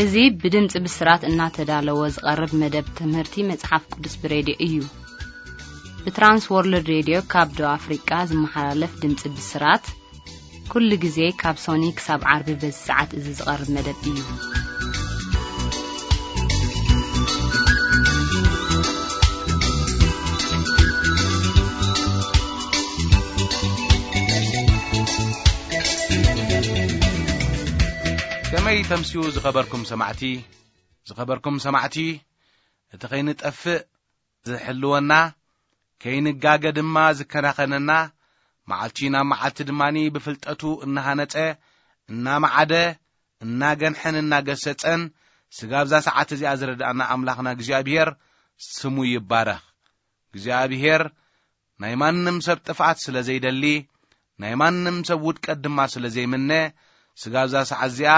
እዚ ብድምፂ ብስራት እናተዳለወ ዝቐርብ መደብ ትምህርቲ መጽሓፍ ቅዱስ ብሬድዮ እዩ። ብትራንስ ወርልድ ሬድዮ ካብ ደቡብ ኣፍሪቃ ዝመሓላለፍ ድምፂ ብስራት፣ ኩሉ ግዜ ካብ ሶኒ ክሳብ ዓርቢ በዚ ሰዓት እዚ ዝቐርብ መደብ እዩ። ከመይ ተምስዩ ዝኸበርኩም ሰማዕቲ? ዝኸበርኩም ሰማዕቲ፣ እቲ ከይንጠፍእ ዝሕልወና፣ ከይንጋገ ድማ ዝከናኸነና፣ መዓልቲ ናብ መዓልቲ ድማኒ ብፍልጠቱ እናሃነጸ፣ እናመዓደ፣ እናገንሐን እናገሰጸን፣ ስጋብ እዛ ሰዓት እዚኣ ዝረድኣና ኣምላኽና እግዚኣብሔር ስሙ ይባረኽ። እግዚኣብሔር ናይ ማንም ሰብ ጥፍኣት ስለ ዘይደሊ፣ ናይ ማንም ሰብ ውድቀት ድማ ስለ ዘይምነ፣ ስጋብ እዛ ሰዓት እዚኣ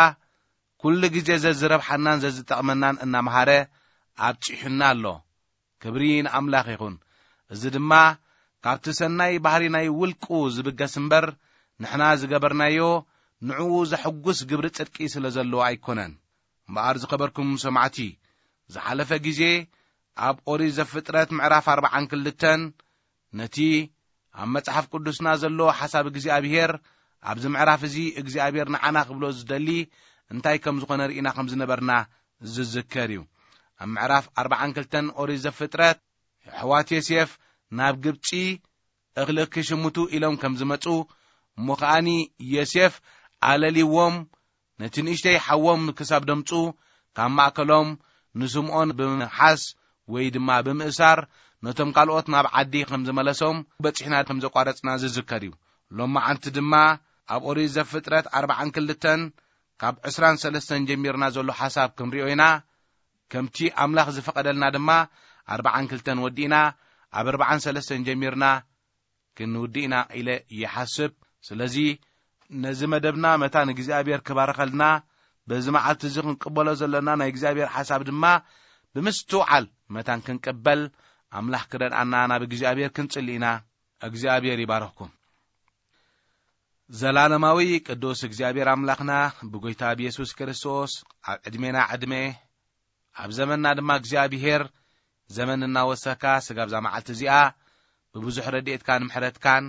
ኩሉ ግዜ ዘዝረብሓናን ዘዝጠቕመናን እናምሃረ ኣብጺሑና ኣሎ። ክብሪ ንኣምላኽ ይኹን። እዚ ድማ ካብቲ ሰናይ ባህሪ ናይ ውልቁ ዝብገስ እምበር፣ ንሕና ዝገበርናዮ ንዕኡ ዘሐጉስ ግብሪ ጽድቂ ስለ ዘለዎ ኣይኮነን። እምበኣር ዝኸበርኩም ሰማዕቲ፣ ዝሓለፈ ግዜ ኣብ ኦሪት ዘፍጥረት ምዕራፍ ኣርብዓን ክልተን ነቲ ኣብ መጽሓፍ ቅዱስና ዘሎ ሓሳብ እግዚኣብሔር፣ ኣብዚ ምዕራፍ እዚ እግዚኣብሔር ንዓና ክብሎ ዝደሊ እንታይ ከም ዝኾነ ርኢና ከም ዝነበርና ዝዝከር እዩ። ኣብ ምዕራፍ ኣርብዓን ክልተን ኦሪት ዘፍጥረት፣ ኣሕዋት ዮሴፍ ናብ ግብጺ እኽሊ ክሽምቱ ኢሎም ከም ዝመጹ፣ እሞ ከኣኒ ዮሴፍ ኣለልይዎም፣ ነቲ ንእሽተይ ሓዎም ክሳብ ደምጹ፣ ካብ ማእከሎም ንስምዖን ብምሓዝ ወይ ድማ ብምእሳር፣ ነቶም ካልኦት ናብ ዓዲ ከም ዝመለሶም በጺሕና ከም ዘቋረጽና ዝዝከር እዩ። ሎማዓንቲ ድማ ኣብ ኦሪት ዘፍጥረት ኣርብዓን ክልተን ካብ ዕስራን ሰለስተን ጀሚርና ዘሎ ሓሳብ ክንሪኦ ኢና። ከምቲ ኣምላኽ ዝፈቐደልና ድማ ኣርብዓን ክልተን ወዲእና፣ ኣብ ኣርብዓን ሰለስተን ጀሚርና ክንውድእ ኢና ኢለ ይሓስብ። ስለዚ ነዚ መደብና መታን እግዚኣብሔር ክባርኸልና፣ በዚ መዓልቲ እዚ ክንቅበሎ ዘለና ናይ እግዚኣብሔር ሓሳብ ድማ ብምስትውዓል መታን ክንቅበል ኣምላኽ ክረድኣና ናብ እግዚኣብሔር ክንጽሊ ኢና። እግዚኣብሔር ይባርኽኩም። ዘላለማዊ ቅዱስ እግዚኣብሔር ኣምላኽና፣ ብጎይታ ብየሱስ ክርስቶስ ኣብ ዕድሜና ዕድሜ፣ ኣብ ዘመንና ድማ እግዚኣብሔር ዘመን እናወሰካ ስጋብ እዛ መዓልቲ እዚኣ ብብዙሕ ረድኤትካን ምሕረትካን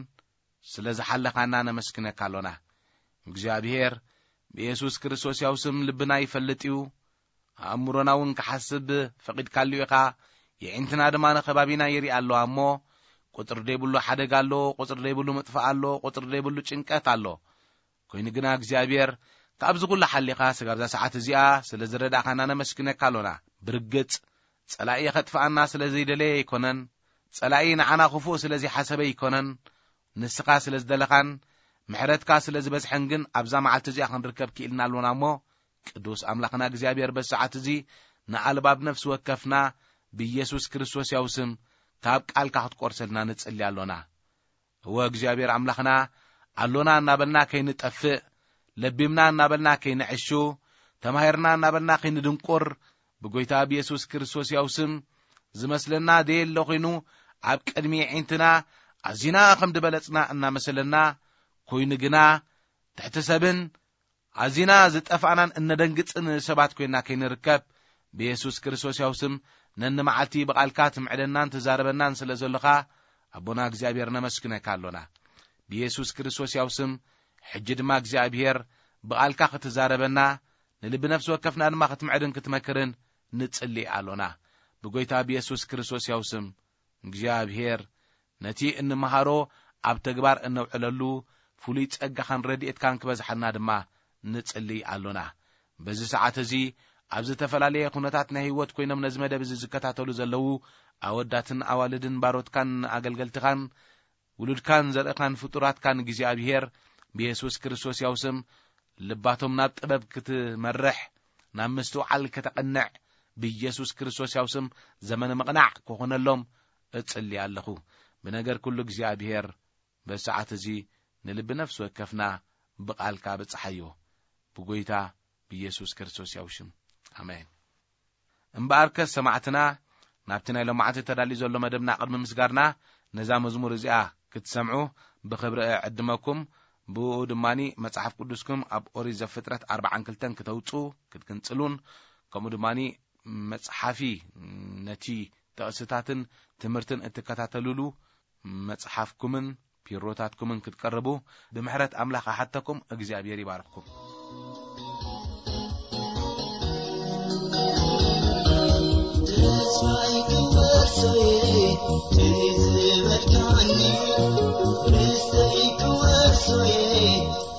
ስለ ዝሓለኻና ነመስግነካ ኣሎና። እግዚኣብሔር ብየሱስ ክርስቶስ ያው ስም ልብና ይፈልጥ እዩ፣ ኣእምሮና እውን ክሓስብ ፈቒድካሉ ኢኻ። የዒንትና ድማ ንኸባቢና ይርኢ ኣለዋ እሞ፣ ቁጽሪ ዘይብሉ ሓደጋ ኣሎ፣ ቁጽሪ ዘይብሉ ምጥፋእ ኣሎ፣ ቁጽሪ ዘይብሉ ጭንቀት ኣሎ። ኮይኑ ግና እግዚኣብሔር ካብዚ ኩሉ ሓሊኻ ስጋብ እዛ ሰዓት እዚኣ ስለ ዝረዳእኻና ነመስግነካ ኣሎና። ብርግጽ ጸላኢ ኸጥፍኣና ስለ ዘይደለየ ኣይኮነን፣ ጸላኢ ንዓና ክፉእ ስለ ዘይሓሰበ ኣይኮነን። ንስኻ ስለ ዝደለኻን ምሕረትካ ስለ ዝበዝሐን ግን ኣብዛ መዓልቲ እዚኣ ክንርከብ ክኢልና ኣሎና እሞ፣ ቅዱስ ኣምላኽና እግዚኣብሔር በዚ ሰዓት እዚ ንኣልባብ ነፍሲ ወከፍና ብኢየሱስ ክርስቶስ ያው ስም ካብ ቃልካ ክትቆርሰልና ንጽሊ ኣሎና። እወ እግዚኣብሔር ኣምላኽና፣ ኣሎና እናበልና ከይንጠፍእ፣ ለቢምና እናበልና ከይንዕሹ፣ ተማሂርና እናበልና ከይንድንቁር፣ ብጎይታ ብየሱስ ክርስቶስ ያው ስም ዝመስለና ደየለ ኮይኑ ኣብ ቅድሚ የዒንትና ኣዚና ከም ድበለጽና እናመሰለና፣ ኮይኑ ግና ትሕቲ ሰብን ኣዚና ዝጠፋእናን እነደንግጽን ሰባት ኮይና ከይንርከብ፣ ብየሱስ ክርስቶስ ያው ስም ነኒ መዓልቲ ብቓልካ ትምዕደናን ትዛረበናን ስለ ዘለኻ፣ ኣቦና እግዚኣብሔር ነመስግነካ ኣሎና። ብየሱስ ክርስቶስ ያው ስም ሕጂ ድማ እግዚኣብሔር ብቓልካ ክትዛረበና፣ ንልቢ ነፍሲ ወከፍና ድማ ክትምዕድን ክትመክርን ንጽሊ ኣሎና። ብጎይታ ብየሱስ ክርስቶስ ያው ስም እግዚኣብሔር ነቲ እንመሃሮ ኣብ ተግባር እነውዕለሉ ፍሉይ ጸጋኻን ረድኤትካን ክበዝሓልና ድማ ንጽሊ ኣሎና። በዚ ሰዓት እዚ ኣብ ዝተፈላለየ ኩነታት ናይ ህይወት ኮይኖም ነዚ መደብ እዚ ዝከታተሉ ዘለዉ ኣወዳትን ኣዋልድን ባሮትካን ኣገልገልትኻን ውሉድካን ዘርእኻን ፍጡራትካን እግዚኣብሔር ብየሱስ ክርስቶስ ያው ስም ልባቶም ናብ ጥበብ ክትመርሕ፣ ናብ ምስትውዓል ከተቐንዕ፣ ብየሱስ ክርስቶስ ያው ስም ዘመነ ምቕናዕ ክኾነሎም እጽሊ ኣለኹ። ብነገር ኩሉ እግዚኣብሔር በዚ ሰዓት እዚ ንልቢ ነፍሲ ወከፍና ብቓልካ ብጽሓዮ። ብጎይታ ብየሱስ ክርስቶስ ያው ሽም። ኣሜን። እምበኣርከስ ሰማዕትና፣ ናብቲ ናይ ሎማዓንቲ ተዳልዩ ዘሎ መደብና ቅድሚ ምስጋርና፣ ነዛ መዝሙር እዚኣ ክትሰምዑ ብኽብሪ እዕድመኩም። ብኡ ድማ መጽሓፍ ቅዱስኩም ኣብ ኦሪት ዘፍጥረት ኣርባዓን ክልተን ክተውጽኡ ክትግንጽሉን፣ ከምኡ ድማ መጽሓፊ ነቲ ጥቕስታትን ትምህርትን እትከታተሉሉ መጽሓፍኩምን ፒሮታትኩምን ክትቀርቡ ብምሕረት ኣምላኽ ኣሓተኩም። እግዚኣብሔር ይባርኽኩም። ተስፋይ ክወርሶየ ትዝበልካኒ፣ ርስተይ ክወርሶየ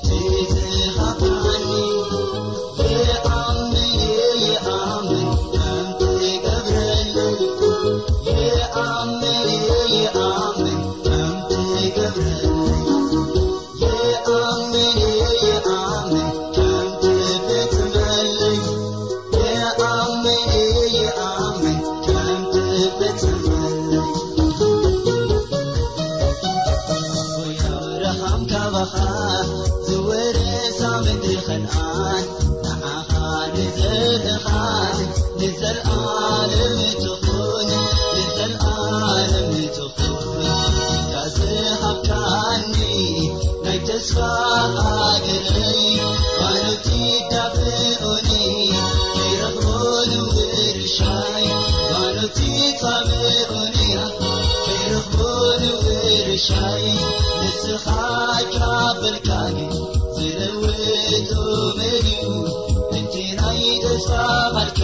ትዝሃብካኒ፣ ይኣምን ይኣምን ከም ትገብረለይ፣ ይኣምን ይኣምን ከም ትገብረለይ፣ ይኣምን ይኣምን ከም ትፍጽመለይ፣ ይኣምን ይኣምን ከም ትፍጽመለይ። ኣቦይ ኣብርሃም ካባኻ ዝወረሳ ምድሪ ኸነኣን፣ ንዓኻ ንዘርእኻን ንዘለኣለም ትኹን፣ ንዘለኣለም ትኹን። ኢኻ ዝሃብካኒ ናይ ተስፋ ሃገረይ፣ ባኖት ይዳፍኡኒ ከይረኽቦ ንውርሻይ፣ ባኖት ይጻብኡኒ ከይረኽቦ ንውርሻይ። ንስኻ ካበልካኒ ዝለውጦ መን እዩ? እቲ ናይ ተስፋ ቃልካ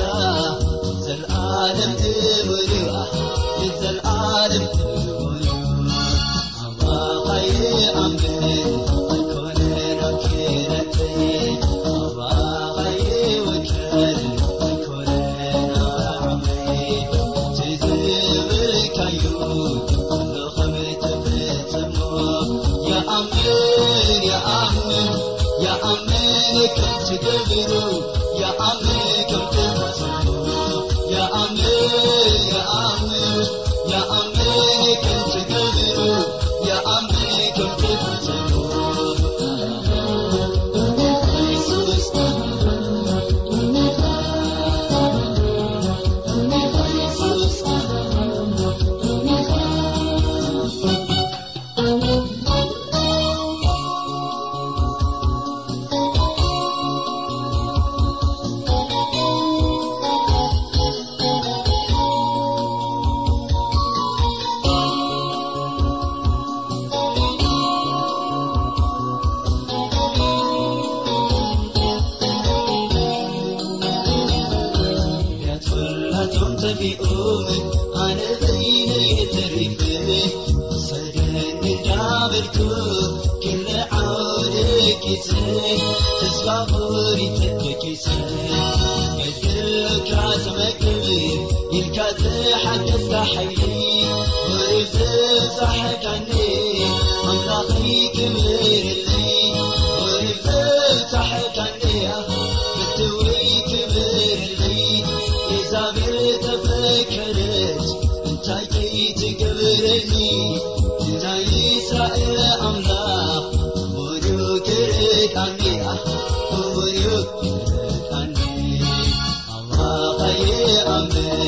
ዘልኣለም እሙን እዩ፣ ዘልኣለም እሙን እዩ። ኣባኻ ይኣምን ኣይኮነን ኣብ ክእለተይ፣ ኣባኻ ይውከል ኣይኮነን ኣብ ዓቕመይ። እቲ ዝብልካዮ ኩሉ ከም ትፍጽሞ ይኣምን፣ ይኣምን፣ ይኣምን ከም ትገብሮ፣ ይኣምን ከም ትፈጽሞ፣ ይኣምን፣ ይኣምን፣ ይኣምን ከም ትገብሮ፣ ይኣምን ከም ትፈጽሞ። ኢየሱስ፣ ኢየሱስ። ነቢያት ኩላቶም ጠፊኦም፣ ኣነ በይነይ ተሪፈ። ሰደኒ እንዳበልኩ ክልዓው ደቂሰ፣ ተስፋ ቆሪጸ ደቂሰ። ገድልካ ትመግብ ኢልካ ዝሓገዝካ ሓይሊ፣ ወሪድ ዘብጻሕካኒ ኣምላኸይ ክብርለይ። ወሪድ ዘብጻሕካኒ ፍትወይ ክብርለይ። ኢዛቤል ተፈከረት እንታይ ከይትገብረኒ፣ ናይ እስራኤል ኣምላኽ እሙን እዩ ክርድኣኒ፣ እሙን እዩ ክርድኣኒ። ኣምላኸ ይኣምን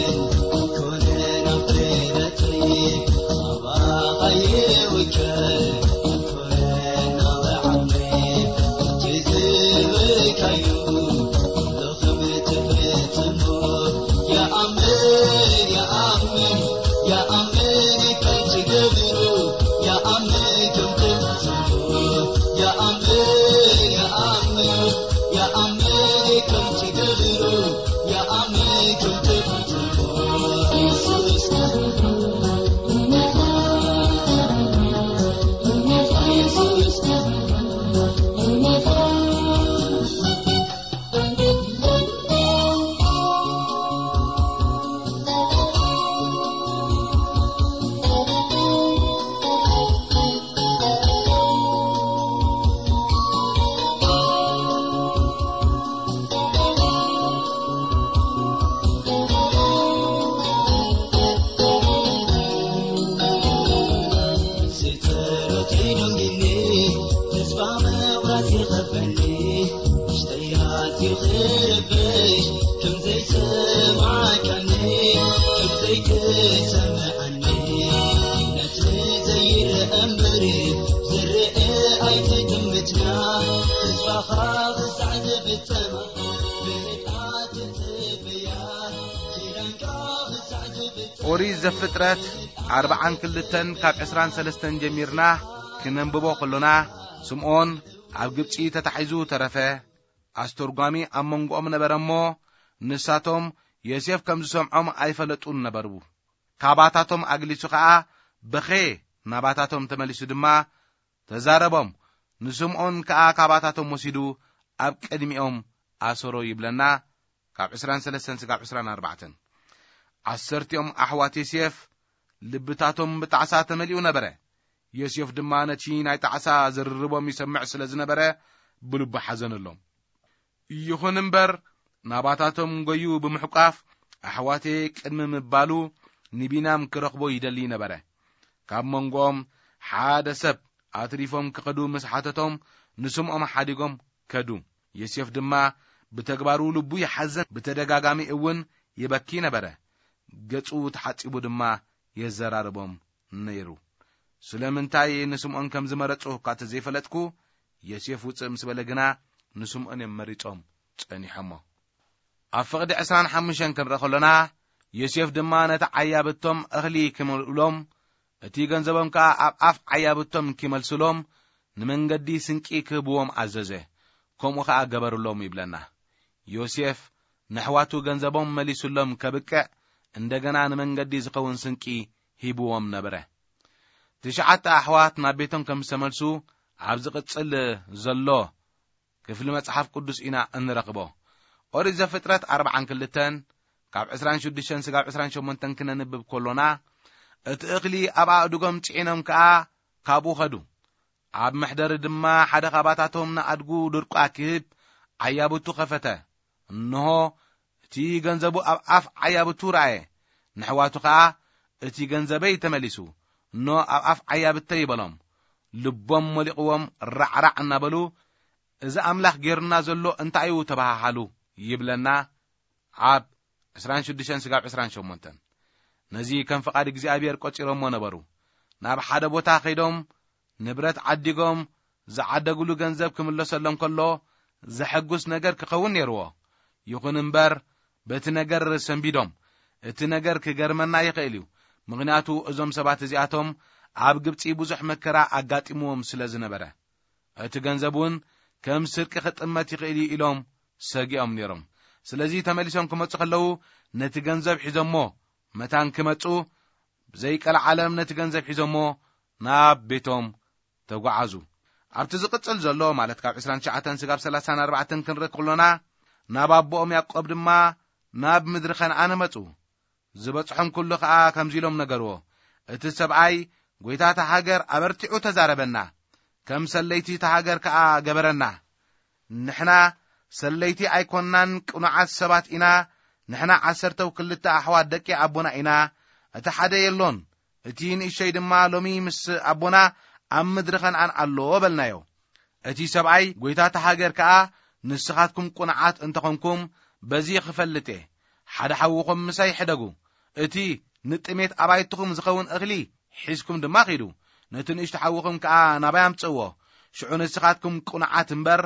ኣይኮነን ኣብ ክእለተይ፣ ኣባኻ ይውከል ኣይኮነን ኣብ ዓቕመይ። እቲ ዝብልካዮ ኩሉ ከም ትፍጽሞ ይኣምን፣ ይኣምን፣ ይኣምን ከም ትገብሮ፣ ይኣምን ከም ትፍጽሞ፣ ይኣምን፣ ይኣምን፣ ይኣምን ከም ትገብሮ፣ ይኣምን ከም ትፍጽሞ። ኢየሱስ፣ ኢየሱስ። ጸሎተይ ደንጊኒ፣ ተስፋ ምቑራጽ ይኸበኒ። ውሽጠይ ኣዝዩ ክርበሽ፣ ከም ዘይሰማዕካኒ፣ ከም ዘይትሰምዓኒ። ነቲ ዘይርአ እምበር፣ ዝርአ ኣይትግምት። ኦሪት ዘፍጥረት ኣርብዓን ክልተን ካብ ዕስራን ሰለስተን ጀሚርና ክነንብቦ ከሎና፣ ስምዖን ኣብ ግብጺ ተታሒዙ ተረፈ። ኣስተርጓሚ ኣብ መንጎኦም ነበረ እሞ፣ ንሳቶም ዮሴፍ ከም ዝሰምዖም ኣይፈለጡን ነበሩ። ካባታቶም ኣግሊሱ ኸኣ በኸየ። ናባታቶም ተመሊሱ ድማ ተዛረቦም። ንስምዖን ከኣ ካባታቶም ወሲዱ ኣብ ቅድሚኦም ኣሰሮ ይብለና። ካብ ዕስራን ሰለስተን ስጋብ ዕስራን ኣርባዕተን። ዓሰርቲኦም ኣሕዋት ዮሴፍ ልብታቶም ብጣዕሳ ተመሊኡ ነበረ። ዮሴፍ ድማ ነቲ ናይ ጣዕሳ ዝርርቦም ይሰምዕ ስለ ዝነበረ ብልቡ ሓዘነሎም። ይኹን እምበር ናባታቶም ጎዩ ብምሕቋፍ ኣሕዋተይ ቅድሚ ምባሉ ንቢንያም ክረኽቦ ይደሊ ነበረ። ካብ መንጎኦም ሓደ ሰብ ኣትሪፎም ክኸዱ ምስ ሓተቶም ንስምዖም ሓዲጎም ከዱ። ዮሴፍ ድማ ብተግባሩ ልቡ ይሓዘን ብተደጋጋሚ እውን ይበኪ ነበረ። ገጹ ተሓጺቡ ድማ የዘራርቦም ነይሩ። ስለምንታይ ንስምዖን ከም ዝመረጹ እኳ እንተዘይፈለጥኩ፣ ዮሴፍ ውጽእ ምስ በለ ግና ንስምዖን እዮም መሪጾም ጸኒሖሞ። ኣብ ፍቕዲ ዕስራን ሓሙሽተን ክንርኢ ከሎና፣ ዮሴፍ ድማ ነቲ ዓያብቶም እኽሊ ክመልኡሎም፣ እቲ ገንዘቦም ከኣ ኣብ ኣፍ ዓያብቶም ኪመልሱሎም፣ ንመንገዲ ስንቂ ክህብዎም ኣዘዘ። ከምኡ ኸኣ ገበሩሎም ይብለና። ዮሴፍ ንኣሕዋቱ ገንዘቦም መሊሱሎም ከብቅዕ፣ እንደገና ንመንገዲ ዝኸውን ስንቂ ሂብዎም ነበረ። ትሽዓተ ኣሕዋት ናብ ቤቶም ከም ዝተመልሱ ኣብ ዝቕጽል ዘሎ ክፍሊ መጽሓፍ ቅዱስ ኢና እንረኽቦ። ኦሪት ዘፍጥረት ኣርብዓን ክልተን ካብ ዕስራን ሽዱሽተን ስጋብ ዕስራን ሸሞንተን ክነንብብ ከሎና፣ እቲ እኽሊ ኣብ ኣእዱጎም ጽዒኖም ከኣ ካብኡ ኸዱ። ኣብ መሕደሪ ድማ ሓደ ኻባታቶም ንኣድጉ ድርቋ ክህብ ዓያብቱ ኸፈተ። እንሆ፣ እቲ ገንዘቡ ኣብ ኣፍ ዓያብቱ ረኣየ። ንኣሕዋቱ ኸኣ፣ "እቲ ገንዘበይ ተመሊሱ፣ እኖ ኣብ ኣፍ ዓያብተይ" በሎም። ልቦም ሞሊቕዎም ራዕራዕ እናበሉ፣ "እዚ ኣምላኽ ጌሩና ዘሎ እንታይ እዩ?" ተባሃሃሉ ይብለና ኣብ ዕስራን ሽዱሽተን ስጋብ ዕስራን ሸሞንተን። ነዚ ከም ፍቓድ እግዚኣብሔር ቆጺሮሞ ነበሩ። ናብ ሓደ ቦታ ከይዶም ንብረት ዓዲጎም ዝዓደግሉ ገንዘብ ክምለሰሎም ከሎ ዘሐጉስ ነገር ክኸውን ነይርዎ። ይኹን እምበር በቲ ነገር ሰንቢዶም። እቲ ነገር ክገርመና ይኽእል እዩ፣ ምኽንያቱ እዞም ሰባት እዚኣቶም ኣብ ግብጺ ብዙሕ መከራ ኣጋጢምዎም ስለ ዝነበረ። እቲ ገንዘብ እውን ከም ስርቂ ክጥመት ይኽእል እዩ ኢሎም ሰጊኦም ነይሮም። ስለዚ ተመሊሶም ክመጹ ከለዉ ነቲ ገንዘብ ሒዞሞ መታን ክመጹ ብዘይቀልዓለም ነቲ ገንዘብ ሒዞሞ ናብ ቤቶም ተጓዓዙ። ኣብቲ ዝቕጽል ዘሎ ማለት ካብ ዕስራን ትሽዓተን ስጋብ ሰላሳን ኣርባዕተን ክንርኢ ከሎና ናብ ኣቦኦም ያዕቆብ ድማ ናብ ምድሪ ከነኣን መጹ። ዝበጽሖም ኩሉ ኸኣ ከምዚ ኢሎም ነገርዎ፣ "እቲ ሰብኣይ ጐይታ እታ ሃገር ኣበርቲዑ ተዛረበና፣ ከም ሰለይቲ እታ ሃገር ከኣ ገበረና። ንሕና ሰለይቲ ኣይኮንናን ቅኑዓት ሰባት ኢና፣ ንሕና ዓሰርተው ክልተ ኣሕዋት ደቂ ኣቦና ኢና፣ እቲ ሓደ የሎን፣ እቲ ንእሽቶይ ድማ ሎሚ ምስ ኣቦና ኣብ ምድሪ ከነኣን ኣሎ" በልናዮ። እቲ ሰብኣይ ጐይታ እታ ሃገር ከኣ፣ "ንስኻትኩም ቅኑዓት እንተኾንኩም በዚ ክፈልጥ እየ፣ ሓደ ሓውኹም ምሳይ ሕደጉ፣ እቲ ንጥሜት ኣባይትኹም ዝኸውን እኽሊ ሒዝኩም ድማ ኺዱ፣ ነቲ ንእሽቶ ሓውኹም ከኣ ናባይ ኣምጽእዎ፣ ሽዑ ንስኻትኩም ቅኑዓት እምበር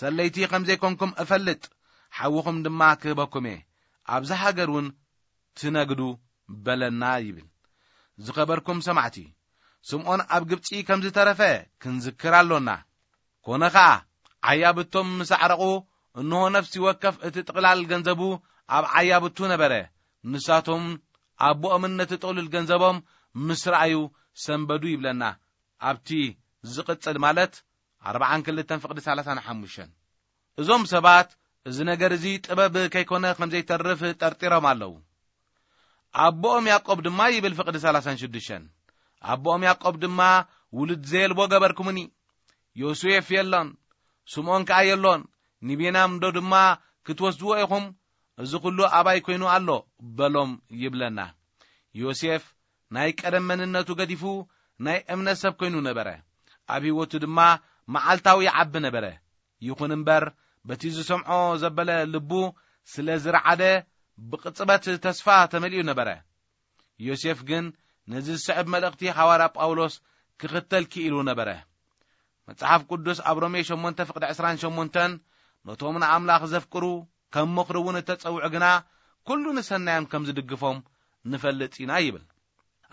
ሰለይቲ ከም ዘይኮንኩም እፈልጥ፣ ሓውኹም ድማ ክህበኩም እየ፣ ኣብዛ ሃገር እውን ትነግዱ" በለና ይብል። ዝኸበርኩም ሰማዕቲ፣ ስምዖን ኣብ ግብጺ ከም ዝተረፈ ክንዝክር ኣሎና። ኮነ ኸኣ፣ ዓያብቶም ምስ ኣዕረቑ፣ እንሆ ነፍሲ ወከፍ እቲ ጥቕላል ገንዘቡ ኣብ ዓያብቱ ነበረ። ንሳቶም ኣቦኦምን ነቲ ጥቕሉል ገንዘቦም ምስ ረኣዩ ሰንበዱ ይብለና። ኣብቲ ዝቕጽል ማለት ኣርብዓን ክልተን ፍቕዲ ሰላሳን ሓሙሽተን። እዞም ሰባት እዚ ነገር እዚ ጥበብ ከይኮነ ከም ዘይተርፍ ጠርጢሮም ኣለዉ። ኣቦኦም ያዕቆብ ድማ ይብል ፍቕዲ ሰላሳን ሽዱሽተን፣ ኣቦኦም ያዕቆብ ድማ ውሉድ ዘየልቦ ገበርኩምኒ። ዮሴፍ የሎን፣ ስምዖን ከኣ የሎን፣ ንቤንያም ዶ ድማ ክትወስድዎ ኢኹም? እዚ ኹሉ ኣባይ ኮይኑ ኣሎ በሎም ይብለና። ዮሴፍ ናይ ቀደም መንነቱ ገዲፉ ናይ እምነት ሰብ ኮይኑ ነበረ። ኣብ ህይወቱ ድማ መዓልታዊ ይዓቢ ነበረ። ይኹን እምበር በቲ ዝሰምዖ ዘበለ ልቡ ስለ ዝረዓደ ብቕጽበት ተስፋ ተመሊኡ ነበረ። ዮሴፍ ግን ነዚ ዝስዕብ መልእኽቲ ሓዋርያ ጳውሎስ ክኽተል ክኢሉ ነበረ። መጽሓፍ ቅዱስ ኣብ ሮሜ ሸሞንተ ፍቕዲ ዕስራን ሸሞንተን፣ "ነቶም ንኣምላኽ ዘፍቅሩ ከም ምኽሩ እውን እተጸውዑ ግና ኩሉ ንሰናዮም ከም ዝድግፎም ንፈልጥ ኢና ይብል።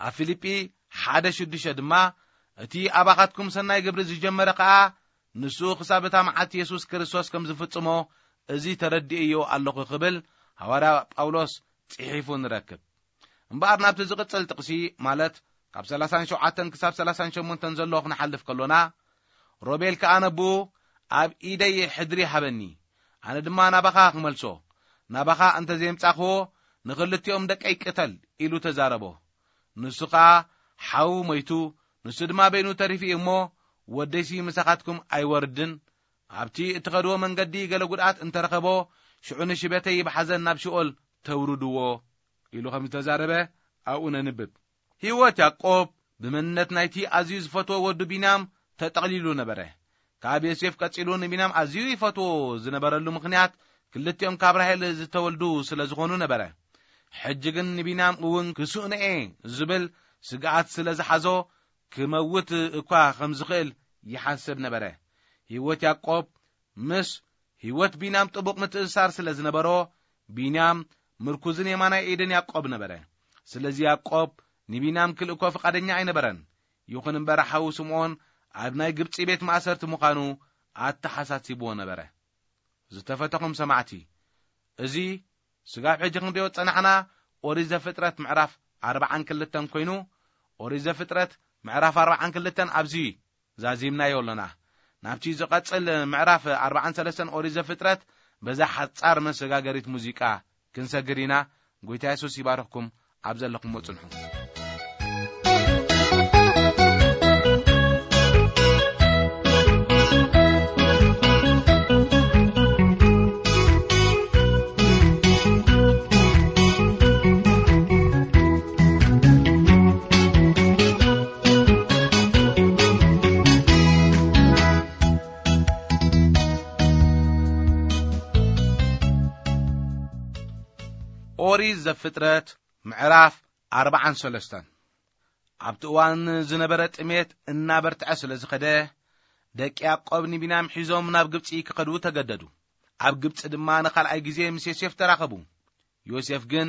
ኣብ ፊልጲ ሓደ ሽዱሽተ ድማ፣ እቲ ኣባኻትኩም ሰናይ ግብሪ ዝጀመረ ከኣ ንሱ ክሳብ እታ መዓልቲ የሱስ ክርስቶስ ከም ዝፍጽሞ እዚ ተረዲእዮ ኣለኹ ክብል ሃዋርያ ጳውሎስ ጽሒፉ ንረክብ። እምበኣር ናብቲ ዝቕጽል ጥቕሲ፣ ማለት ካብ ሰላሳን ሸውዓተን ክሳብ ሰላሳን ሸሞንተን ዘሎ ክንሓልፍ ከሎና፣ ሮቤል ከኣ ነብኡ፣ ኣብ ኢደይ ሕድሪ ሃበኒ፣ ኣነ ድማ ናባኻ ክመልሶ፣ ናባኻ እንተ ዘየምጻኽዎ፣ ንኽልቲኦም ደቀይ ቅተል ኢሉ ተዛረቦ። ንሱ ኸኣ ሓዉ ሞይቱ፣ ንሱ ድማ በይኑ ተሪፉ እዩ እሞ፣ ወደይሲ ምሳኻትኩም ኣይወርድን፣ ኣብቲ እትኸድዎ መንገዲ ገለ ጉድኣት እንተረኸቦ፣ ሽዑ ንሽበተይ ብሓዘን ናብ ሽኦል ተውርድዎ ኢሉ ከም ዝተዛረበ ኣብኡ ነንብብ። ህይወት ያዕቆብ ብመንነት ናይቲ ኣዝዩ ዝፈትዎ ወዱ ቢንያም ተጠቕሊሉ ነበረ። ካብ ዮሴፍ ቀጺሉ ንቢንያም ኣዝዩ ይፈትዎ ዝነበረሉ ምኽንያት፣ ክልቲኦም ካብ ራሄል ዝተወልዱ ስለ ዝኾኑ ነበረ። ሕጂ ግን ንቢንያም እውን ክስእኖ'የ ዝብል ስግኣት ስለ ዝሓዞ፣ ክመውት እኳ ከም ዝኽእል ይሓስብ ነበረ። ህይወት ያዕቆብ ምስ ህይወት ቢንያም ጥቡቕ ምትእስሳር ስለ ዝነበሮ፣ ቢንያም ምርኩዝን የማናይ ኢድን ያዕቆብ ነበረ። ስለዚ ያዕቆብ ንቢንያም ክልእኮ ፍቓደኛ ኣይነበረን። ይኹን እምበር ሓዉ ስምዖን ኣብ ናይ ግብጺ ቤት ማእሰርቲ ምዃኑ ኣተሓሳሲብዎ ነበረ። ዝተፈተኹም ሰማዕቲ፣ እዚ ስጋብ ሕጂ ክንሪኦ ዝጸናሕና ኦሪት ዘፍጥረት ምዕራፍ ኣርባዓን ክልተን ኮይኑ፣ ኦሪት ዘፍጥረት ምዕራፍ ኣርባዓን ክልተን ኣብዚ ዛዚምናዮ ኣሎና። ናብቲ ዝቐጽል ምዕራፍ ኣርባዓን ሰለስተን ኦሪት ዘፍጥረት በዛ ሓጻር መሰጋገሪት ሙዚቃ ክንሰግር ኢና። ጎይታ የሱስ ይባርኽኩም። ኣብ ዘለኹሞ ጽንሑ። ኦሪት ዘፍጥረት ምዕራፍ ኣርባዓን ሰለስተን። ኣብቲ እዋን ዝነበረ ጥሜት እናበርትዐ ስለ ዝኸደ፣ ደቂ ያዕቆብ ንቢንያም ሒዞም ናብ ግብጺ ክኸዱ ተገደዱ። ኣብ ግብጺ ድማ ንኻልኣይ ግዜ ምስ ዮሴፍ ተራኸቡ። ዮሴፍ ግን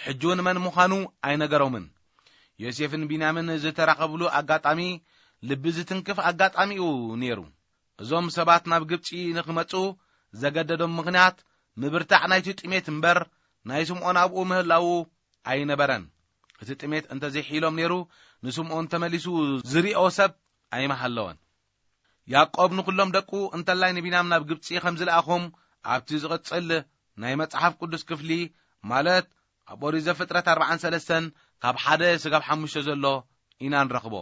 ሕጂ እውን መን ምዃኑ ኣይነገሮምን። ዮሴፍን ቢንያምን ዝተራኸብሉ ኣጋጣሚ ልቢ ዝትንክፍ ኣጋጣሚ እዩ ነይሩ። እዞም ሰባት ናብ ግብጺ ንኽመጹ ዘገደዶም ምኽንያት ምብርታዕ ናይቲ ጥሜት እምበር፣ ናይ ስምዖን ኣብኡ ምህላዉ ኣይነበረን። እቲ ጥሜት እንተዘይሒሎም ነይሩ፣ ንስምዖን ተመሊሱ ዝሪኦ ሰብ ኣይምሃለወን። ያዕቆብ ንኹሎም ደቁ፣ እንተላይ ንቢንያም ናብ ግብጺ ከም ዝለኣኾም ኣብቲ ዝቕጽል ናይ መጽሓፍ ቅዱስ ክፍሊ፣ ማለት ኣብ ኦሪት ዘፍጥረት ኣርባዓን ሰለስተን ካብ ሓደ ስጋብ ሓሙሽተ ዘሎ ኢና ንረኽቦ።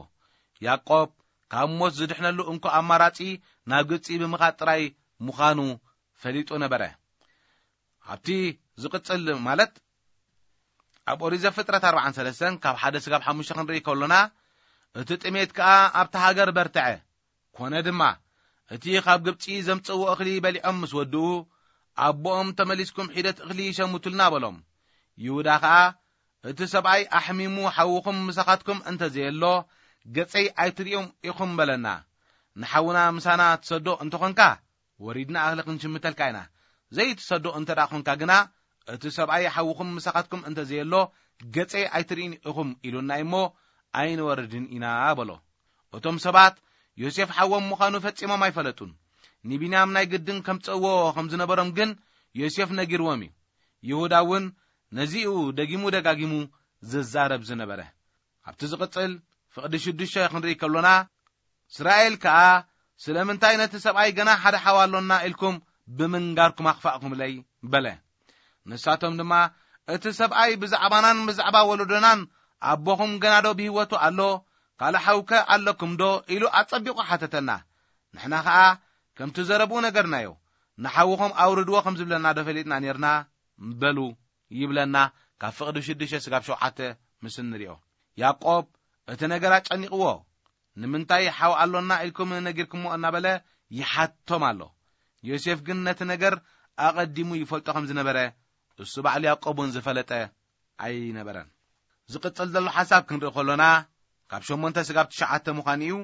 ያዕቆብ ካብ ሞት ዝድሕነሉ እንኮ ኣማራጺ ናብ ግብጺ ብምኻድ ጥራይ ምዃኑ ፈሊጡ ነበረ። ኣብቲ ዝቕጽል፣ ማለት ኣብ ኦሪት ዘፍጥረት ኣርባዓን ሰለስተን ካብ ሓደ ስጋብ ሓሙሽተ ክንርኢ ከሎና፣ እቲ ጥሜት ከኣ ኣብታ ሃገር በርትዐ። ኮነ ድማ፣ እቲ ካብ ግብጺ ዘምጽእዎ እኽሊ በሊዖም ምስ ወድኡ፣ ኣቦኦም፣ "ተመሊስኩም ሒደት እኽሊ ሸምቱልና" በሎም። ይሁዳ ኸኣ፣ "እቲ ሰብኣይ ኣሕሚሙ ሓውኹም ምሳኻትኩም እንተ ዘየሎ፣ ገጸይ ኣይትርእዩን ኢኹም" በለና። "ንሓውና ምሳና ትሰዶ እንተኾንካ፣ ወሪድና እኽሊ ክንሽምተልካ ኢና። ዘይትሰዶ እንተ ደኣ ኾንካ ግና፣ እቲ ሰብኣይ ሓውኹም ምሳኻትኩም እንተ ዘየሎ፣ ገጸይ ኣይትርእዩን ኢኹም ኢሉና እሞ፣ ኣይንወርድን ኢና" በሎ። እቶም ሰባት ዮሴፍ ሓዎም ምዃኑ ፈጺሞም ኣይፈለጡን። ንቢንያም ናይ ግድን ከምጽእዎ ከም ዝነበሮም ግን ዮሴፍ ነጊርዎም እዩ። ይሁዳ እውን ነዚኡ ደጊሙ ደጋጊሙ ዝዛረብ ዝነበረ። ኣብቲ ዝቕጽል ፍቕዲ ሽዱሽተ ክንርኢ ከሎና፣ እስራኤል ከኣ፣ "ስለምንታይ ነቲ ሰብኣይ ገና ሓደ ሓው ኣሎና ኢልኩም ብምንጋርኩም ኣኽፋእኩምለይ?" በለ። ንሳቶም ድማ፣ "እቲ ሰብኣይ ብዛዕባናን ብዛዕባ ወለዶናን ኣቦኹም ገና ዶ ብህይወቱ ኣሎ? ካልእ ሓውከ ኣለኩም ዶ?" ኢሉ ኣጸቢቑ ሓተተና። ንሕና ኸኣ ከምቲ ዘረብኡ ነገርናዮ። "ንሓውኹም ኣውርድዎ ከም ዝብለና ዶ ፈሊጥና ኔርና?" በሉ ይብለና፣ ካብ ፍቕዲ ሽዱሽተ ስጋብ ሸውዓተ ምስ እንሪኦ። ያዕቆብ እቲ ነገር ኣጨኒቕዎ። "ንምንታይ ሓው ኣሎና ኢልኩም ነጊርኩሞ?" እናበለ ይሓቶም ኣሎ። ዮሴፍ ግን ነቲ ነገር ኣቐዲሙ ይፈልጦ ከም ዝነበረ፣ እሱ ባዕሉ ያዕቆብ እውን ዝፈለጠ ኣይነበረን። ዝቕጽል ዘሎ ሓሳብ ክንርኢ ከሎና፣ ካብ ሸሞንተ ስጋብ ትሽዓተ ምዃኑ እዩ።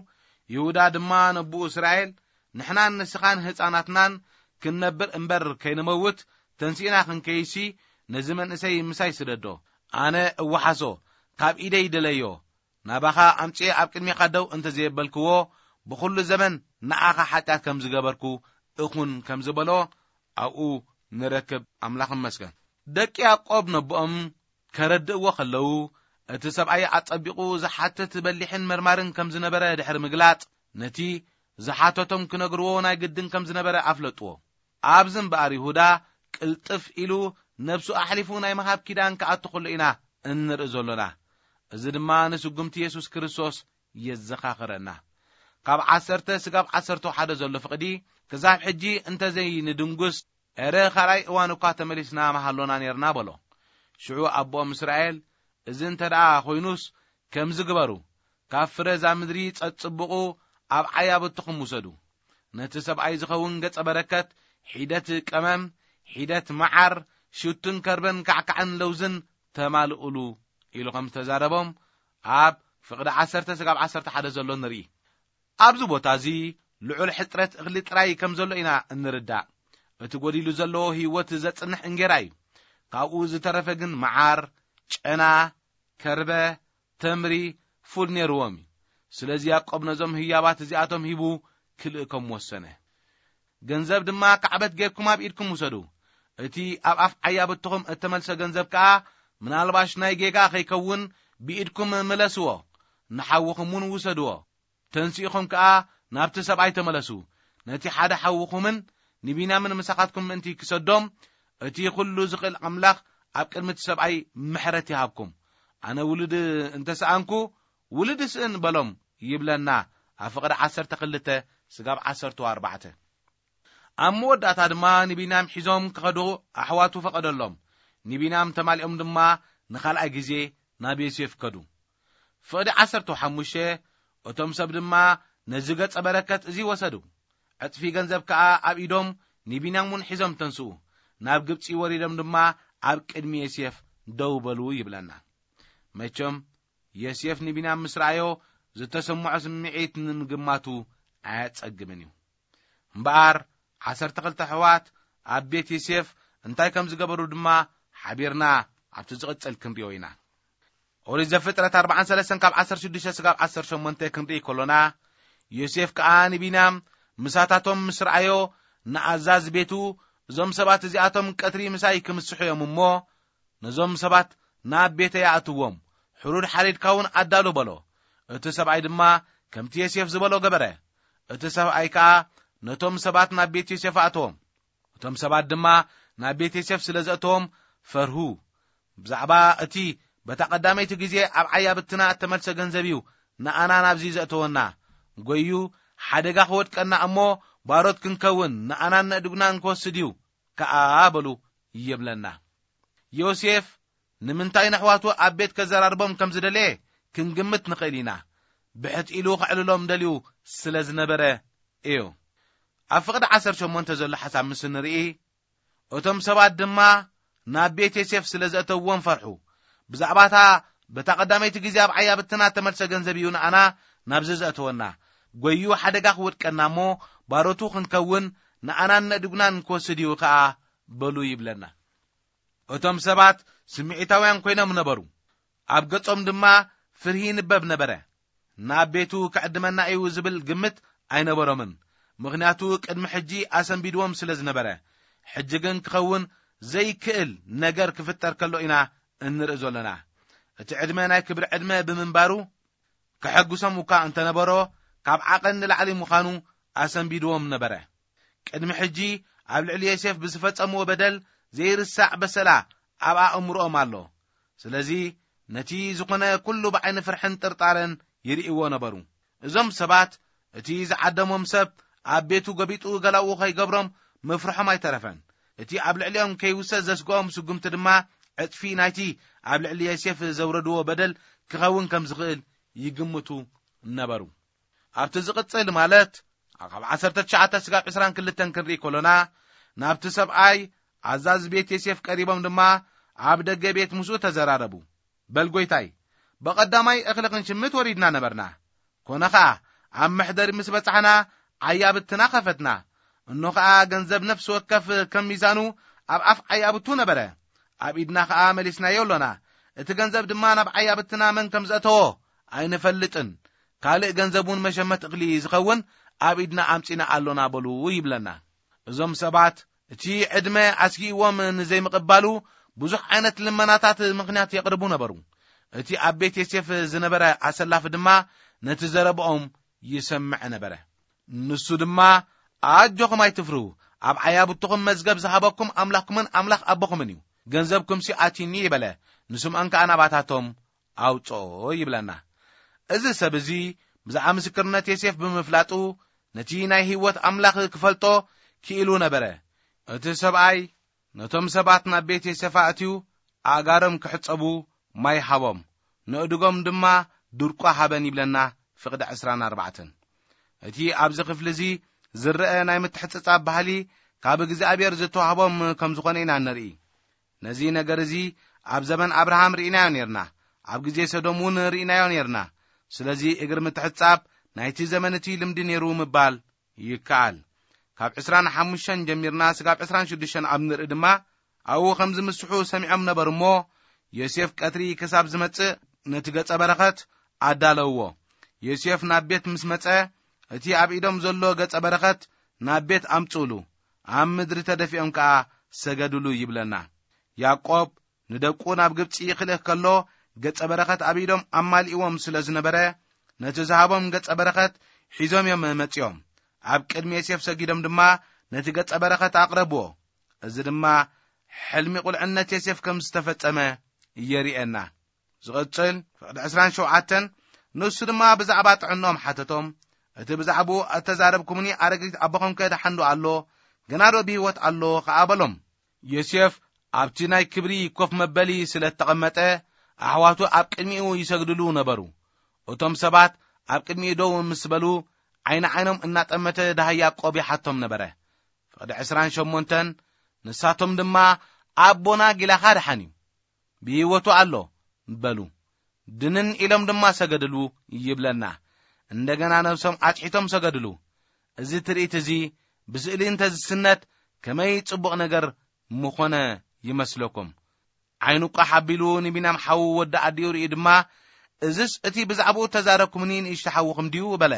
ይሁዳ ድማ ነብኡ እስራኤል፣ "ንሕናን ንስኻን ህፃናትናን ክንነብር እምበር ከይንመውት፣ ተንሲእና ክንከይሲ፣ ነዚ መንእሰይ ምሳይ ስደዶ። ኣነ እወሓሶ፣ ካብ ኢደይ ደለዮ፣ ናባኻ ኣምጽኤ ኣብ ቅድሜኻ ደው እንተ ዘየበልክዎ፣ ብኹሉ ዘመን ንኣኻ ሓጢኣት ከም ዝገበርኩ እኹን ከም ዝበሎ ኣብኡ ንረክብ። ኣምላኽ ይመስገን። ደቂ ያዕቆብ ነቦኦም ከረድእዎ ከለዉ፣ እቲ ሰብኣይ ኣጸቢቑ ዝሓትት በሊሕን መርማርን ከም ዝነበረ ድሕሪ ምግላጽ፣ ነቲ ዝሓተቶም ክነግርዎ ናይ ግድን ከም ዝነበረ ኣፍለጥዎ። ኣብዚ እምበኣር ይሁዳ ቅልጥፍ ኢሉ ነብሱ ኣሕሊፉ ናይ ምሃብ ኪዳን ክኣቱ ከሎ ኢና እንርኢ ዘሎና። እዚ ድማ ንስጉምቲ የሱስ ክርስቶስ የዘኻኽረና። ካብ ዓሰርተ ስጋብ ዓሰርተ ሓደ ዘሎ ፍቕዲ ክሳብ ሕጂ እንተዘይንድንጉስ፣ ኤረ ካልኣይ እዋን እኳ ተመሊስና ምሃሎና ኔርና በሎ። ሽዑ ኣቦኦም እስራኤል፣ እዚ እንተ ደኣ ኾይኑስ ከምዚ ግበሩ፣ ካብ ፍረ እዛ ምድሪ ጸጽብቑ ኣብ ዓያብትኹም ውሰዱ። ነቲ ሰብኣይ ዝኸውን ገጸ በረከት ሒደት ቀመም፣ ሒደት መዓር፣ ሽቱን ከርበን ካዕካዕን ለውዝን ተማልኡሉ ኢሉ ከም ዝተዛረቦም ኣብ ፍቕዲ ዓሰርተ ስጋብ ዓሰርተ ሓደ ዘሎ ንርኢ። ኣብዚ ቦታ እዚ ልዑል ሕጽረት እኽሊ ጥራይ ከም ዘሎ ኢና እንርዳእ። እቲ ጎዲሉ ዘሎ ህይወት ዘጽንሕ እንጌራ እዩ። ካብኡ ዝተረፈ ግን መዓር፣ ጨና፣ ከርበ፣ ተምሪ፣ ፉል ነይርዎም እዩ። ስለዚ ያዕቆብ ነዞም ህያባት እዚኣቶም ሂቡ ክልእኮም ወሰነ። ገንዘብ ድማ ካዕበት ጌርኩም ኣብ ኢድኩም ውሰዱ። እቲ ኣብ ኣፍ ዓያብትኹም እተመልሰ ገንዘብ ከኣ ምናልባሽ ናይ ጌጋ ከይከውን ብኢድኩም ምለስዎ፣ ንሓውኹም እውን ውሰድዎ። ተንሲእኹም ከኣ ናብቲ ሰብኣይ ተመለሱ። ነቲ ሓደ ሓውኹምን ንቢንያምን ምሳኻትኩም ምእንቲ ክሰዶም፣ እቲ ኩሉ ዝኽእል ኣምላኽ ኣብ ቅድሚ እቲ ሰብኣይ ምሕረት ይሃብኩም። ኣነ ውሉድ እንተ ሰኣንኩ፣ ውሉድ እስእን በሎም ይብለና። ኣብ ፍቕዲ ዓሰርተ ክልተ ስጋብ ዓሰርተ ኣርባዕተ። ኣብ መወዳእታ ድማ ንቢንያም ሒዞም ክኸዱ ኣሕዋቱ ፈቐደሎም። ንቢንያም ተማሊኦም ድማ ንኻልኣይ ግዜ ናብ ዮሴፍ ከዱ። ፍቕዲ ዓሰርተ ሓሙሽተ። እቶም ሰብ ድማ ነዚ ገጸ በረከት እዚ ወሰዱ። ዕጽፊ ገንዘብ ከኣ ኣብ ኢዶም ንቢንያም እውን ሒዞም ተንስኡ። ናብ ግብጺ ወሪዶም ድማ ኣብ ቅድሚ ዮሴፍ ደው በሉ ይብለና። መቸም ዮሴፍ ንቢንያም ምስ ረኣዮ ዝተሰምዖ ስምዒት ንምግማቱ ኣየጸግምን እዩ። እምበኣር ዓሰርተ ክልተ ኣሕዋት ኣብ ቤት ዮሴፍ እንታይ ከም ዝገበሩ ድማ ሓቢርና ኣብቲ ዝቕጽል ክንሪኦ ኢና። ኦሪት ዘፍጥረት ኣርባዓን ሰለስተን ካብ ዓሰርተ ሽዱሽተ ስጋብ ዓሰርተ ሸሞንተ ክንርኢ ከሎና፣ ዮሴፍ ከኣ ንቢንያም ምሳታቶም ምስ ረኣዮ፣ ንኣዛዚ ቤቱ፣ "እዞም ሰባት እዚኣቶም ቀትሪ ምሳይ ክምስሑ እዮም እሞ፣ ነዞም ሰባት ናብ ቤተይ ኣእትዎም፣ ሕሩድ ሓሪድካ እውን ኣዳሉ" በሎ። እቲ ሰብኣይ ድማ ከምቲ ዮሴፍ ዝበሎ ገበረ። እቲ ሰብኣይ ከኣ ነቶም ሰባት ናብ ቤት ዮሴፍ ኣእተዎም። እቶም ሰባት ድማ ናብ ቤት ዮሴፍ ስለ ዘእተዎም ፈርሁ። ብዛዕባ እቲ በታ ቀዳመይቲ ግዜ ኣብ ዓያብትና እተመልሰ ገንዘብ እዩ ንኣና ናብዚ ዘእተወና። ጎዩ ሓደጋ ክወድቀና እሞ ባሮት ክንከውን ንኣናን ነእድጉናን ክወስድ እዩ ከኣ በሉ ይብለና። ዮሴፍ ንምንታይ ነሕዋቱ ኣብ ቤት ከዘራርቦም ከም ዝደለየ ክንግምት ንኽእል ኢና። ብሕት ኢሉ ከዕልሎም ደልዩ ስለ ዝነበረ እዩ። ኣብ ፍቕዲ ዓሰርተ ሸሞንተ ዘሎ ሓሳብ ምስ ንርኢ፣ እቶም ሰባት ድማ ናብ ቤት ዮሴፍ ስለ ዘእተውዎም ፈርሑ። ብዛዕባታ በታ ቀዳመይቲ ግዜ ኣብ ዓያብትና ተመልሰ ገንዘብ እዩ ንኣና ናብዚ ዘእተወና። ጎዩ ሓደጋ ክወድቀና እሞ ባሮቱ ክንከውን ንኣናን ነእድጉናን ክወስድ እዩ ከኣ በሉ ይብለና። እቶም ሰባት ስምዒታውያን ኮይኖም ነበሩ። ኣብ ገጾም ድማ ፍርሂ ይንበብ ነበረ። ናብ ቤቱ ክዕድመና እዩ ዝብል ግምት ኣይነበሮምን። ምኽንያቱ ቅድሚ ሕጂ ኣሰንቢድዎም ስለ ዝነበረ። ሕጂ ግን ክኸውን ዘይክእል ነገር ክፍጠር ከሎ ኢና እንርኢ ዘሎና። እቲ ዕድመ ናይ ክብሪ ዕድመ ብምንባሩ፣ ከሐጉሶም እኳ እንተነበሮ፣ ካብ ዓቐን ንላዕሊ ምዃኑ ኣሰንቢድዎም ነበረ። ቅድሚ ሕጂ ኣብ ልዕሊ ዮሴፍ ብዝፈጸምዎ በደል ዘይርሳዕ በሰላ ኣብ ኣእምሮኦም ኣሎ። ስለዚ ነቲ ዝኾነ ኩሉ ብዓይኒ ፍርሕን ጥርጣረን ይርእይዎ ነበሩ። እዞም ሰባት እቲ ዝዓደሞም ሰብ ኣብ ቤቱ ገቢጡ ገላኡ ከይገብሮም ምፍርሖም ኣይተረፈን። እቲ ኣብ ልዕሊኦም ከይውሰድ ዘስግኦም ስጉምቲ ድማ ዕጽፊ ናይቲ ኣብ ልዕሊ ዮሴፍ ዘውረድዎ በደል ክኸውን ከም ዝኽእል ይግምቱ ነበሩ። ኣብቲ ዝቕጽል ማለት ካብ ዓሰርተ ትሽዓተ ስጋብ ዕስራን ክልተን ክንርኢ ከሎና፣ ናብቲ ሰብኣይ ኣዛዚ ቤት ዮሴፍ ቀሪቦም ድማ ኣብ ደገ ቤት ምስኡ ተዘራረቡ። "በል ጐይታይ፣ ብቐዳማይ እኽሊ ክንሽምት ወሪድና ነበርና። ኮነ ኸኣ ኣብ መሕደሪ ምስ በጻሕና ዓያብትና ኸፈትና። እኖ ኸኣ ገንዘብ ነፍሲ ወከፍ ከም ሚዛኑ ኣብ ኣፍ ዓያብቱ ነበረ። ኣብ ኢድና ኸኣ መሊስናዮ ኣሎና። እቲ ገንዘብ ድማ ናብ ዓያብትና መን ከም ዘእተዎ ኣይንፈልጥን። ካልእ ገንዘብ እውን መሸመት እኽሊ ዝኸውን ኣብ ኢድና ኣምጺና ኣሎና በሉ ይብለና። እዞም ሰባት እቲ ዕድመ ኣስጊእዎም ንዘይምቕባሉ ብዙሕ ዓይነት ልመናታት ምኽንያት የቕርቡ ነበሩ። እቲ ኣብ ቤት ዮሴፍ ዝነበረ ኣሰላፊ ድማ ነቲ ዘረብኦም ይሰምዕ ነበረ። ንሱ ድማ፣ "ኣጆኹም ኣይትፍርሁ፣ ኣብ ዓያብትኹም መዝገብ ዝሃበኩም ኣምላኽኩምን ኣምላኽ ኣቦኹምን እዩ። ገንዘብኩምሲ ኣትዩኒ" ይበለ፣ ንስምዖን ከኣ ናባታቶም ኣውጽኦ ይብለና። እዚ ሰብ እዚ ብዛዕባ ምስክርነት ዮሴፍ ብምፍላጡ ነቲ ናይ ህይወት ኣምላኽ ክፈልጦ ክኢሉ ነበረ። እቲ ሰብኣይ ነቶም ሰባት ናብ ቤት ዮሴፍ ኣእትዩ ኣእጋሮም ክሕጸቡ ማይ ሃቦም፣ ንእድጎም ድማ ድርቋ ሃበን ይብለና ፍቕዲ ዕስራን ኣርባዕተን። እቲ ኣብዚ ክፍሊ እዚ ዝረአ ናይ ምትሕጽጻብ ባህሊ ካብ እግዚኣብሔር ዝተዋህቦም ከም ዝኾነ ኢና ንርኢ። ነዚ ነገር እዚ ኣብ ዘመን ኣብርሃም ርኢናዮ ነርና፣ ኣብ ግዜ ሰዶም እውን ርኢናዮ ነርና። ስለዚ እግሪ ምትሕጻብ ናይቲ ዘመን እቲ ልምዲ ነይሩ ምባል ይከኣል። ካብ ዕስራን ሓሙሽተን ጀሚርና ስጋብ ዕስራን ሽዱሽተን ኣብ ንርኢ ድማ ኣብኡ ከም ዝምስሑ ሰሚዖም ነበሩ እሞ፣ ዮሴፍ ቀትሪ ክሳብ ዝመጽእ ነቲ ገጸ በረኸት ኣዳለውዎ። ዮሴፍ ናብ ቤት ምስ መጸ፣ እቲ ኣብ ኢዶም ዘሎ ገጸ በረኸት ናብ ቤት ኣምጽእሉ፣ ኣብ ምድሪ ተደፊኦም ከኣ ሰገድሉ ይብለና። ያዕቆብ ንደቁ ናብ ግብጺ ክልእኽ ከሎ፣ ገጸ በረኸት ኣብ ኢዶም ኣማሊእዎም ስለ ዝነበረ፣ ነቲ ዝሃቦም ገጸ በረኸት ሒዞም እዮም መጺኦም። ኣብ ቅድሚ ዮሴፍ ሰጊዶም ድማ ነቲ ገጸ በረኸት ኣቕረብዎ። እዚ ድማ ሕልሚ ቁልዕነት ዮሴፍ ከም ዝተፈጸመ የርእየና። ዝቕጽል ፍቕዲ ዕስራን ሸውዓተን፣ ንሱ ድማ ብዛዕባ ጥዕንኦም ሓተቶም። እቲ ብዛዕባኡ እተዛረብኩምኒ ኣረጊት ኣቦኹምከ ደሓን ዶ ኣሎ? ገና ዶ ብህይወት ኣሎ? ከኣ በሎም። ዮሴፍ ኣብቲ ናይ ክብሪ ኮፍ መበሊ ስለ እተቐመጠ፣ ኣሕዋቱ ኣብ ቅድሚኡ ይሰግድሉ ነበሩ። እቶም ሰባት ኣብ ቅድሚኡ ደው ምስ በሉ፣ ዓይኒ ዓይኖም እናጠመተ ደሃይ ያዕቆብ ይሓቶም ነበረ። ፍቕዲ ዕስራን ሸሞንተን፣ ንሳቶም ድማ፣ "ኣቦና ጊላኻ ደሓን እዩ፣ ብህይወቱ ኣሎ" በሉ። ድንን ኢሎም ድማ ሰገድሉ ይብለና። እንደገና ነብሶም ኣጽሒቶም ሰገድሉ። እዚ ትርኢት እዚ ብስእሊ እንተ ዝስነት ከመይ ጽቡቕ ነገር ምኾነ ይመስለኩም። ዓይኑ ቋሕ ኣቢሉ ንቢንያም ሓዉ ወዲ ኣዲኡ ርእዩ ድማ፣ "እዝስ እቲ ብዛዕባኡ እተዛረብኩምኒ ንእሽቶ ሓውኹም ድዩ?" በለ።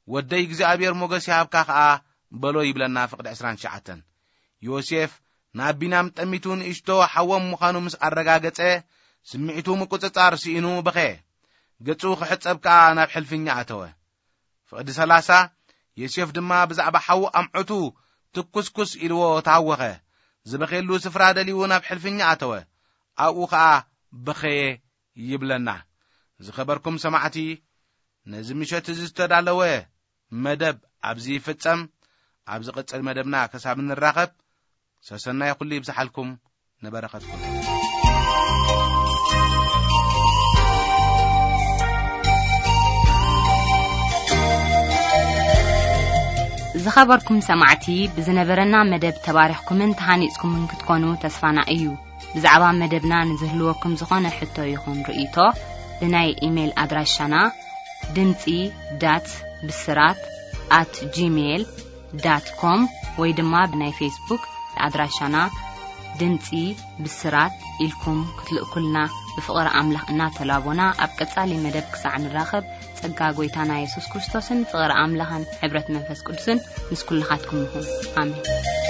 "ወደይ እግዚኣብሔር ሞገስ ይሃብካ ከኣ" በሎ ይብለና ፍቕዲ ዕስራን ትሽዓተን። ዮሴፍ ናብ ቢንያም ጠሚቱ ንእሽቶ ሓዎም ምዃኑ ምስ ኣረጋገጸ፣ ስምዒቱ ምቁጽጻር ስኢኑ በኸየ። ገጹ ክሕጸብ ከኣ ናብ ሕልፍኛ ኣተወ። ፍቕዲ ሰላሳ፣ ዮሴፍ ድማ ብዛዕባ ሓዉ ኣምዑቱ ትኩስኩስ ኢልዎ ተሃወኸ። ዝበኸየሉ ስፍራ ደልዩ ናብ ሕልፍኛ ኣተወ። ኣብኡ ኸኣ በኸየ ይብለና። ዝኸበርኩም ሰማዕቲ፣ ነዚ ምሸት እዚ ዝተዳለወ መደብ ኣብዚ ይፍጸም። ኣብ ዝቕጽል መደብና ክሳብ እንራኸብ፣ ሰሰናይ ኩሉ ይብዝሓልኩም፣ ንበረኸትኩም። ዝኸበርኩም ሰማዕቲ፣ ብዝነበረና መደብ ተባሪኽኩምን ተሃኒጽኩምን ክትኮኑ ተስፋና እዩ። ብዛዕባ መደብና ንዝህልወኩም ዝኾነ ሕቶ ይኹን ርእይቶ፣ ብናይ ኢሜይል ኣድራሻና ድምጺ ዳት ብስራት ኣት ጂሜይል ዳት ኮም ወይ ድማ ብናይ ፌስቡክ ኣድራሻና ድምጺ ብስራት ኢልኩም ክትልእኩልና ብፍቕሪ ኣምላኽ እናተላቦና፣ ኣብ ቀጻሊ መደብ ክሳዕ ንራኸብ፣ ጸጋ ጐይታና የሱስ ክርስቶስን ፍቕሪ ኣምላኽን ሕብረት መንፈስ ቅዱስን ምስ ኩልኻትኩም ይኹን። ኣሜን።